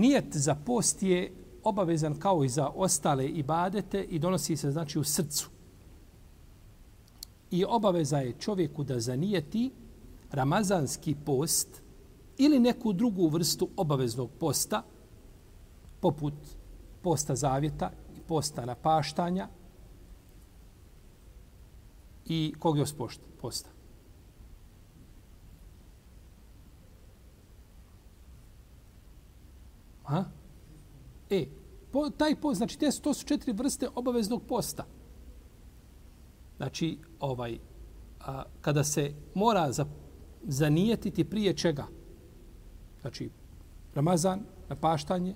Nijet za post je obavezan kao i za ostale ibadete i donosi se znači u srcu. I obaveza je čovjeku da zanijeti ramazanski post ili neku drugu vrstu obaveznog posta, poput posta zavjeta i posta napaštanja i kog još posta. Taj post, znači to su 4 vrste obaveznog posta. Znači, kada se mora zanijetiti prije čega? Znači, Ramazan, napaštanje,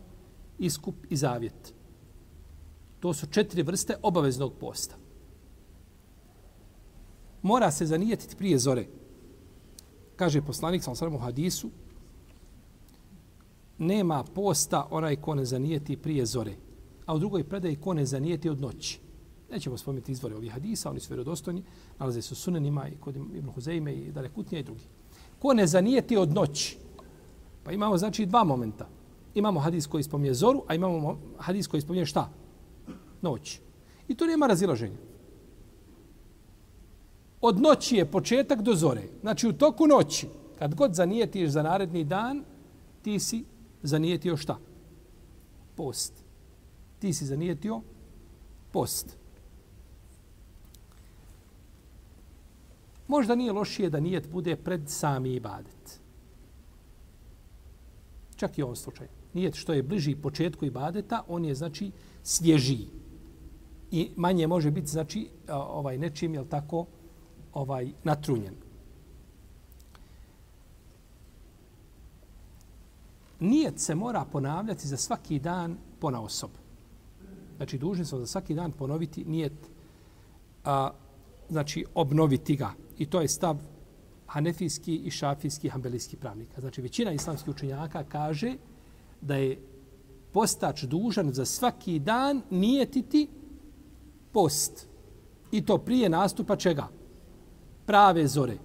iskup i zavjet. To su 4 vrste obaveznog posta. Mora se zanijetiti prije zore. Kaže poslanik sallallahu alejhi ve sellem u hadisu: nema posta onaj ko ne zanijeti prije zore. A u drugoj predaji ko ne zanijeti od noći. Nećemo spomenuti izvore ovih hadisa, oni su vjerodostojni, nalaze se u sunenima i kod Ibn Huzejme i Darekutnija i drugi. Ko ne zanijeti od noći? Pa imamo znači 2 momenta. Imamo hadis koji spominje zoru, a imamo hadis koji spominje šta? Noć. I to nema razilaženja. Od noći je početak do zore. Znači u toku noći, kad god zanijetiš za naredni dan, ti si zanijetio šta? Post. Ti si zanijetio post. Možda nije lošije da nijet bude pred sami ibadet. Čak i u ovom slučaju. Nijet što je bliži početku ibadeta, on je znači svježiji. I manje može biti znači nečim, jel tako, natrunjen. Nijet se mora ponavljati za svaki dan ponaosob. Znači, dužni smo za svaki dan ponoviti nijet, znači obnoviti ga. I to je stav hanefijski i šafijski hambelijski pravnika. Znači, većina islamskih učenjaka kaže da je postač dužan za svaki dan nijetiti post. I to prije nastupa čega? Prave zore.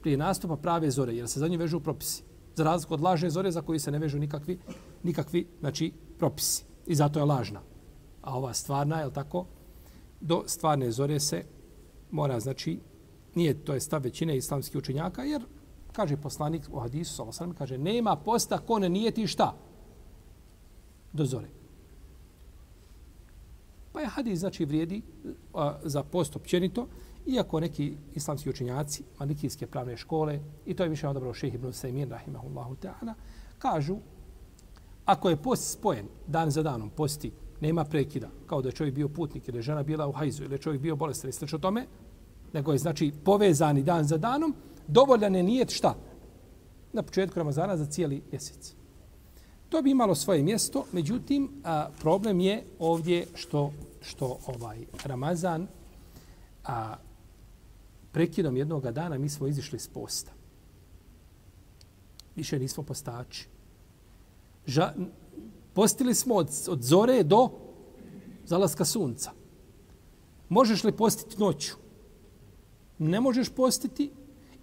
Prije nastupa prave zore, jer se za nju vežu propisi. Za razliku od lažne zore za koju se ne vežu nikakvi znači, propisi. I zato je lažna. A ova stvarna, je li tako? Do stvarne zore se mora, znači, nije to je stav većine islamskih učenjaka, jer, kaže poslanik u hadisu, sallallahu alejhi ve sellem, kaže, nema posta ko ne nijeti šta? Do zore. Pa je hadis, znači, vrijedi za post općenito, iako neki islamski učenjaci, malikijske pravne škole, i to je više odabrao šejh Ibn Usajmin, rahimahullahu ta'ala, kažu, ako je post spojen dan za danom, posti, nema prekida, kao da je čovjek bio putnik ili je žena bila u hajzu ili je čovjek bio bolestan i slično tome, nego je znači povezani dan za danom, dovoljan je nijet šta? Na početku Ramazana za cijeli mjesec. To bi imalo svoje mjesto, međutim, problem je ovdje što Ramazan, prekidom jednog dana mi smo izišli s posta. Više nismo postači. Postili smo od zore do zalaska sunca. Možeš li postiti noću? Ne možeš postiti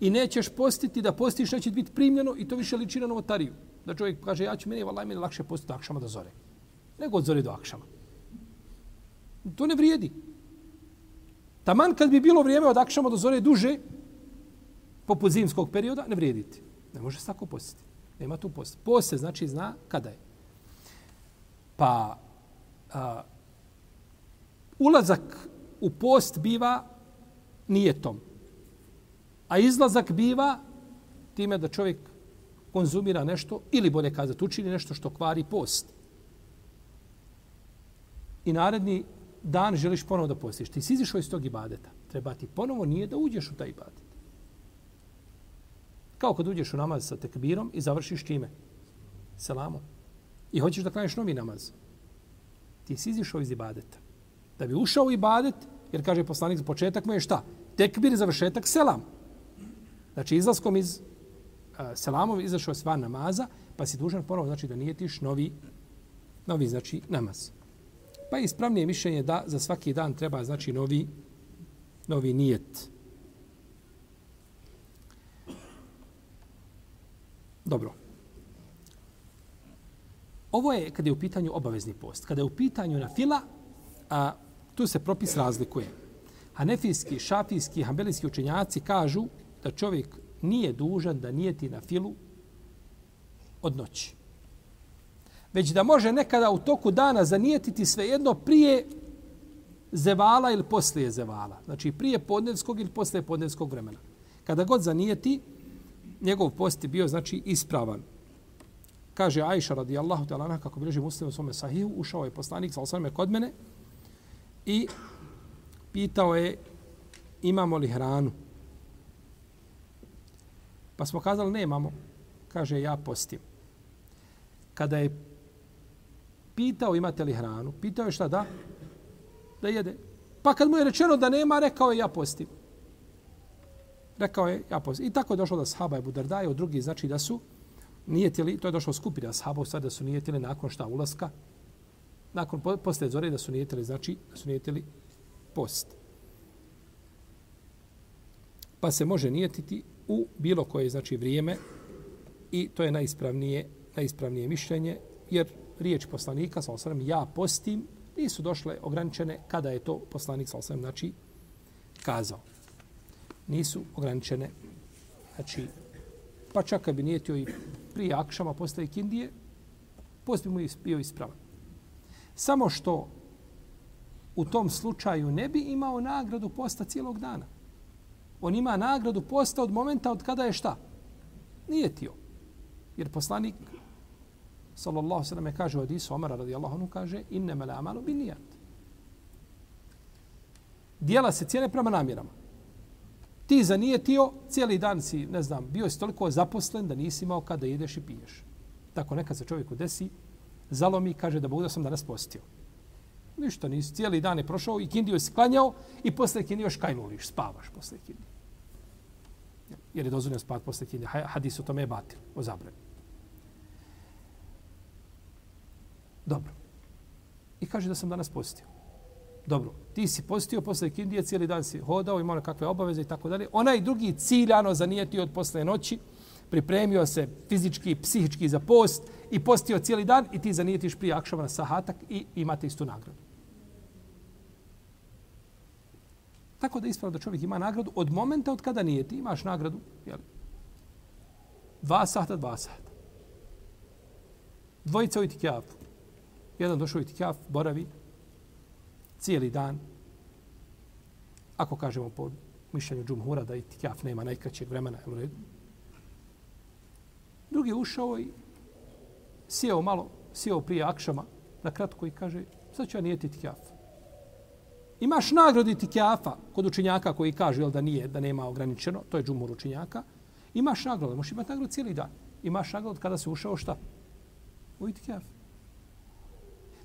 i nećeš postiti da postiš, neće biti primljeno i to više liči na novotariju. Da čovjek kaže, meni je lakše postiti od akšama do zore. Nego od zore do akšama. To ne vrijedi. Taman kad bi bilo vrijeme od akšama do zore duže, poput zimskog perioda, ne vrijediti. Ne može se tako postiti. Nema tu post. Post se znači zna kada je. Pa ulazak u post biva nijetom. A izlazak biva time da čovjek konzumira nešto ili bolje kazati učini nešto što kvari post. I naredni dan želiš ponovo da postiš. Ti si izišao iz tog ibadeta. Treba ti ponovo nije da uđeš u taj ibadet. Kao kad uđeš u namaz sa tekbirom i završiš čime? Selamom. I hoćeš da klanješ novi namaz. Ti si izišao iz ibadeta. Da bi ušao u ibadet, jer kaže poslanik za početak mu je šta? Tekbir, završetak, selam. Znači izlaskom iz selamom izašao si van namaza, pa si dužan ponovo znači da nijetiš novi znači namaz. Pa je ispravnije mišljenje da za svaki dan treba znači novi nijet. Dobro. Ovo je kada je u pitanju obavezni post. Kada je u pitanju na fila, tu se propis razlikuje. Hanefijski, šafijski, hambelijski učenjaci kažu da čovjek nije dužan da nijeti na filu od noći. Već da može nekada u toku dana zanijetiti svejedno prije zevala ili poslije zevala. Znači prije podnevskog ili poslije podnevskog vremena. Kada god zanijeti, njegov post je bio znači ispravan. Kaže Ajša radijallahu ta'ala anha, kako bilježi Muslim u svome sahihu, ušao je poslanik sallallahu alejhi ve sellem kod mene i pitao je imamo li hranu. Pa smo kazali nemamo. Kaže ja postim. Kada je pitao imate li hranu, pitao je šta da? Da jede. Pa kad mu je rečeno da nema, rekao je ja postim. Rekao je ja postim. I tako je došlo da sahaba Ebu Dardaja, od drugi znači da su nijetili, to je došlo skupina sahaba u stvari da su nijetili nakon šta ulaska, nakon poslije zore da su nijetili, znači da su nijetili post. Pa se može nijetiti u bilo koje znači vrijeme i to je najispravnije mišljenje, jer riječ poslanika sallallahu alejhi ve sellem ja postim nisu došle ograničene kada je to poslanik sallallahu alejhi ve sellem znači kazao. Nisu ograničene, znači pa čak kad bi nijetio i prije akšama posle ikindije, post bi mu bio ispravan. Samo što u tom slučaju ne bi imao nagradu posta cijelog dana. On ima nagradu posta od momenta od kada je šta? Nijetio. Jer poslanik sallallahu alejhi ve sellem kaže u hadisu Omara radijallahu anhu kaže innamal a'malu binnijat. Djela se cijene prema namjerama. Ti zanijetio, cijeli dan si, ne znam, bio si toliko zaposlen da nisi imao kada jedeš i piješ. Tako nekad se čovjeku desi, zalomi i kaže da Bog da sam danas postio. Ništa nisi, cijeli dan je prošao i kindiju si klanjao i posle kindiju još kajnuliš, spavaš posle kindije. Jer je dozvoljeno spavati posle kindije. Hadis o tome je batil, o zabrani. Dobro. I kaže da sam danas postio. Dobro, ti si postio posle kindije, cijeli dan si hodao, imao nekakve obaveze i tako dalje. Onaj drugi ciljano zanijetio od posle noći, pripremio se fizički i psihički za post i postio cijeli dan i ti zanijetiš prije akšama na sahatak i imate istu nagradu. Tako da ispravno da čovjek ima nagradu od momenta od kada nijeti. Imaš nagradu, jel? 2 sata, 2 sata. Dvojica u itikjafu. Jedan došao u itikjaf, boravi, cijeli dan. Ako kažemo po mišljenju džumhura da itikaf nema najkraćeg vremena, je u redu. Drugi je ušao i sjeo prije akšama na kratko i kaže sad ću ja nijeti itikaf. Imaš nagradu itikafa kod učenjaka koji kažu da nije, da nema ograničeno, to je džumhur učenjaka. Imaš nagradu, možeš imati nagradu cijeli dan. Imaš nagradu kada se ušao šta? U itikaf.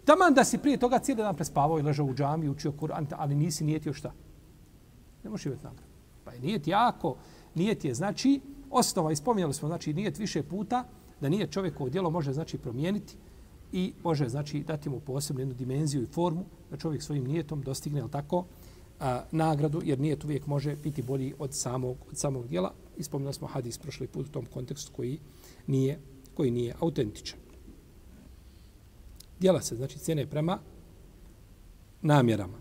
Taman da si prije toga cijeli dan prespavao i ležao u džami, učio Kur'an, ali nisi nijetio šta? Ne možeš imati nagradu. Pa je nijet jako, nijet je znači, osnova, ispominjali smo, znači nijet više puta, da nijet čovjekovo djelo može znači promijeniti i može znači dati mu posebnu jednu dimenziju i formu da čovjek svojim nijetom dostigne, ali tako, nagradu, jer nijet uvijek može biti bolji od samog djela. Ispominjali smo hadis prošli put u tom kontekstu koji nije autentičan. Djela se, znači, cijene prema namjerama.